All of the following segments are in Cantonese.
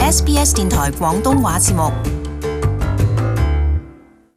SBS 電台廣東話節目。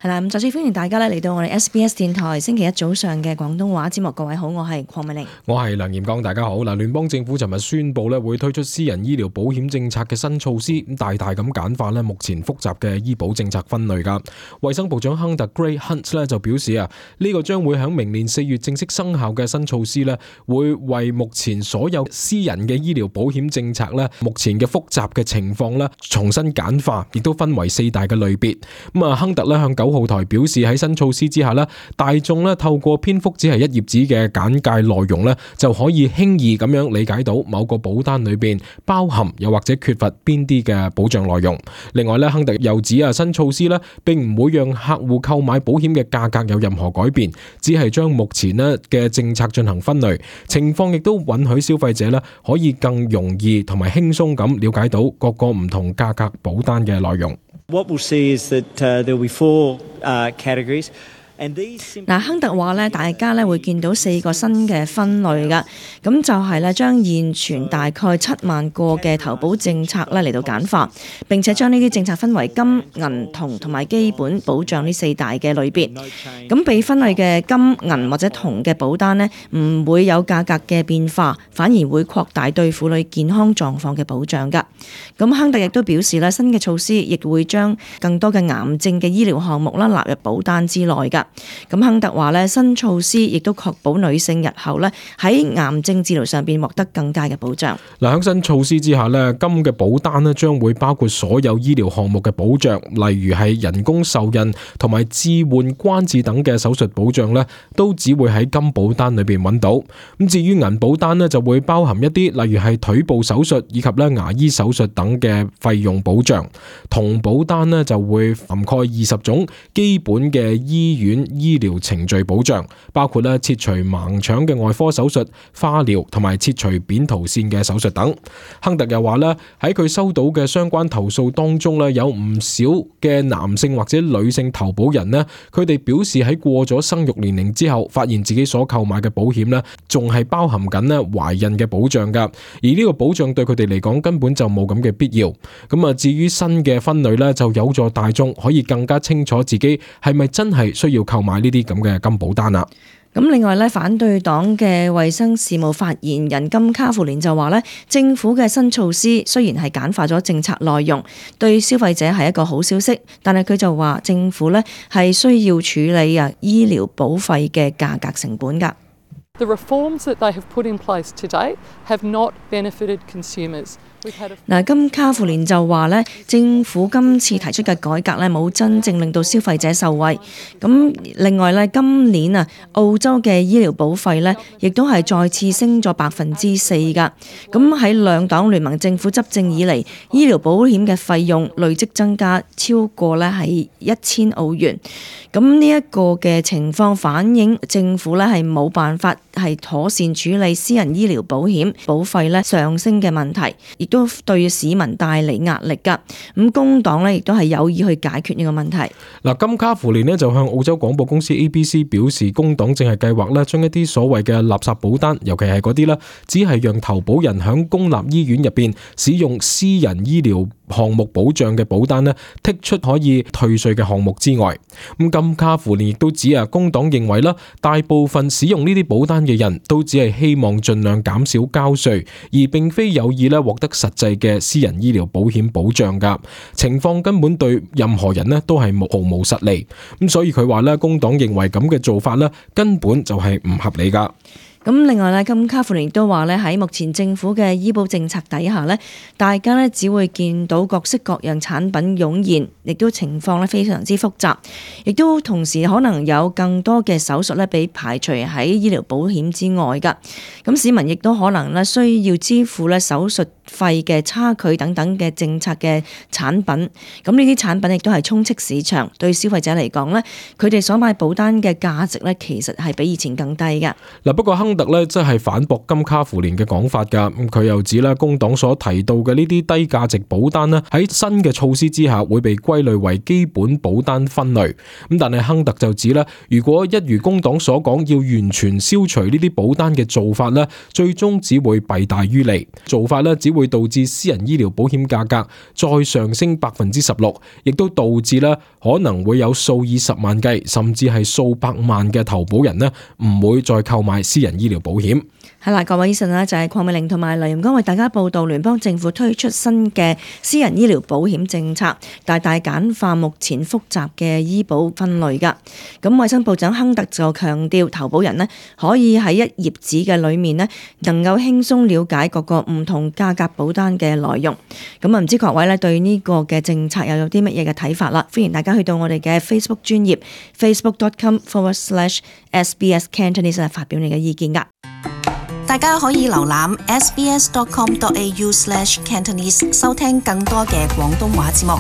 係啦，咁再次歡迎大家嚟到我哋 SBS 電台星期一早上嘅廣東話節目。各位好，我係鄺美玲，我係梁炎剛，大家好。嗱，聯邦政府尋日宣布會推出私人醫療保險政策嘅新措施，咁大大咁簡化目前複雜嘅醫保政策分類噶。衛生部長亨特 Gray Hunt 就表示呢個將會喺明年4月正式生效嘅新措施會為目前所有私人嘅醫療保險政策目前嘅複雜嘅情況重新簡化，亦都分為4大嘅類別。咁亨特向9號台表示，喺新措施之下大眾透過篇幅只係1頁紙嘅簡介內容就可以輕易咁樣理解到某個保單裏邊包含又或者缺乏邊啲嘅保障內容。另外亨特又指新措施並唔會讓客戶購買保險嘅價格有任何改變，只係將目前嘅政策進行分類，情況亦都允許消費者可以更容易同埋輕鬆咁了解到各個唔同價格保單嘅內容。What we'll see is that there will be four categories. 亨特話大家會見到4個新嘅分類㗎，咁就係將現存大概7萬個嘅投保政策嚟到簡化，並且將呢啲政策分為金、銀、銅同埋基本保障呢4大嘅類別。咁被分類嘅金、銀或者銅嘅保單唔會有價格嘅變化，反而會擴大對婦女健康狀況嘅保障㗎。咁亨特亦都表示新嘅措施亦會將更多嘅癌症嘅醫療項目納入保單之內㗎。咁亨特話新措施亦都確保女性日後喺癌症治療上邊獲得更加嘅保障。嗱，喺新措施之下金嘅保單將會包括所有醫療項目嘅保障，例如係人工受孕同埋置換關節等嘅手術保障都只會喺金保單裏邊揾到。咁至於銀保單就會包含一啲例如係腿部手術以及牙醫手術等嘅費用保障。銅保單就會涵蓋20種基本嘅醫院醫療程序保障，包括切除盲腸嘅外科手術、化療同埋切除扁桃腺嘅手術等。亨特又話喺佢收到嘅相關投訴當中有唔少嘅男性或者女性投保人佢哋表示喺過咗生育年齡之後，發現自己所購買嘅保險仲係包含緊懷孕嘅保障噶，而呢個保障對佢哋嚟講根本就冇咁嘅必要。咁至於新嘅分類就有助大眾可以更加清楚自己係咪真係需要購買呢啲咁嘅金保單啦。咁另外反對黨嘅衛生事務發言人金卡芙蓮就話政府嘅新措施雖然係簡化咗政策內容，對消費者係一個好消息，但係佢就話政府係需要處理醫療保費嘅價格成本㗎。The reforms that they have put in place to date have not benefited consumers. 金卡芙蓮就話政府今次提出嘅改革冇真正令到消費者受惠。咁另外今年澳洲嘅醫療保費亦都係再次升咗4%㗎。咁喺兩黨聯盟政府執政以嚟，醫療保險嘅費用累積增加超過係1000澳元。咁呢一個嘅情況反映政府係冇辦法係妥善處理私人醫療保險保費上升嘅問題，亦都對市民帶嚟壓力㗎。咁工黨亦都係有意去解決呢個問題。嗱，金卡芙蓮就向澳洲廣播公司 ABC 表示，工黨正係計劃將一啲所謂嘅垃圾保單，尤其係嗰啲只係讓投保人響公立醫院入邊使用私人醫療項目保障嘅保單剔出可以退稅嘅項目之外。咁金卡芙蓮亦都指工黨認為大部分使用呢啲保單嘅人都只係希望盡量減少交稅，而並非有意獲得實際嘅私人醫療保險保障噶。情況根本對任何人都係毫無實利。咁所以佢話工黨認為咁嘅做法根本就係唔合理噶。咁另外金卡芙蓮都話喺目前政府嘅醫保政策底下大家只會見到各式各樣產品湧現，亦都情況非常之複雜，亦都同時可能有更多嘅手術被排除喺醫療保險之外㗎。咁市民亦都可能需要支付手術費嘅差距等等嘅政策嘅產品。咁呢啲產品亦都係充斥市場，對消費者嚟講佢哋所買保單嘅價值其實係比以前更低㗎。嗱，不過亨特真係反駁金卡芙蓮嘅講法噶。佢又指工黨所提到嘅呢啲低價值保單喺新嘅措施之下會被歸類為基本保單分類。咁但係亨特就指如果一如工黨所講要完全消除呢啲保單嘅做法最終只會弊大於利。做法只會會導致私人醫療保險價格再上升16%，亦都導致咧可能會有數以十萬計，甚至係數百萬嘅投保人呢唔會再購買私人醫療保險。係啦，各位醫生啦，就係鄺美玲同埋黎炎剛為大家報道聯邦政府推出新嘅私人醫療保險政策，大大簡化目前複雜嘅醫保分類㗎。咁衛生部長亨特就強調，投保人呢可以喺一頁紙嘅裏面呢能夠輕鬆了解各個唔同價格保單嘅內容。咁唔知各位呢對呢個嘅政策又有啲乜嘢嘅睇法啦？歡迎大家去到我哋嘅 Facebook 專頁 facebook.com/SBS Cantonese 發表你嘅意見㗎。大家可以瀏覽 sbs.com.au/Cantonese 收聽更多嘅廣東話節目。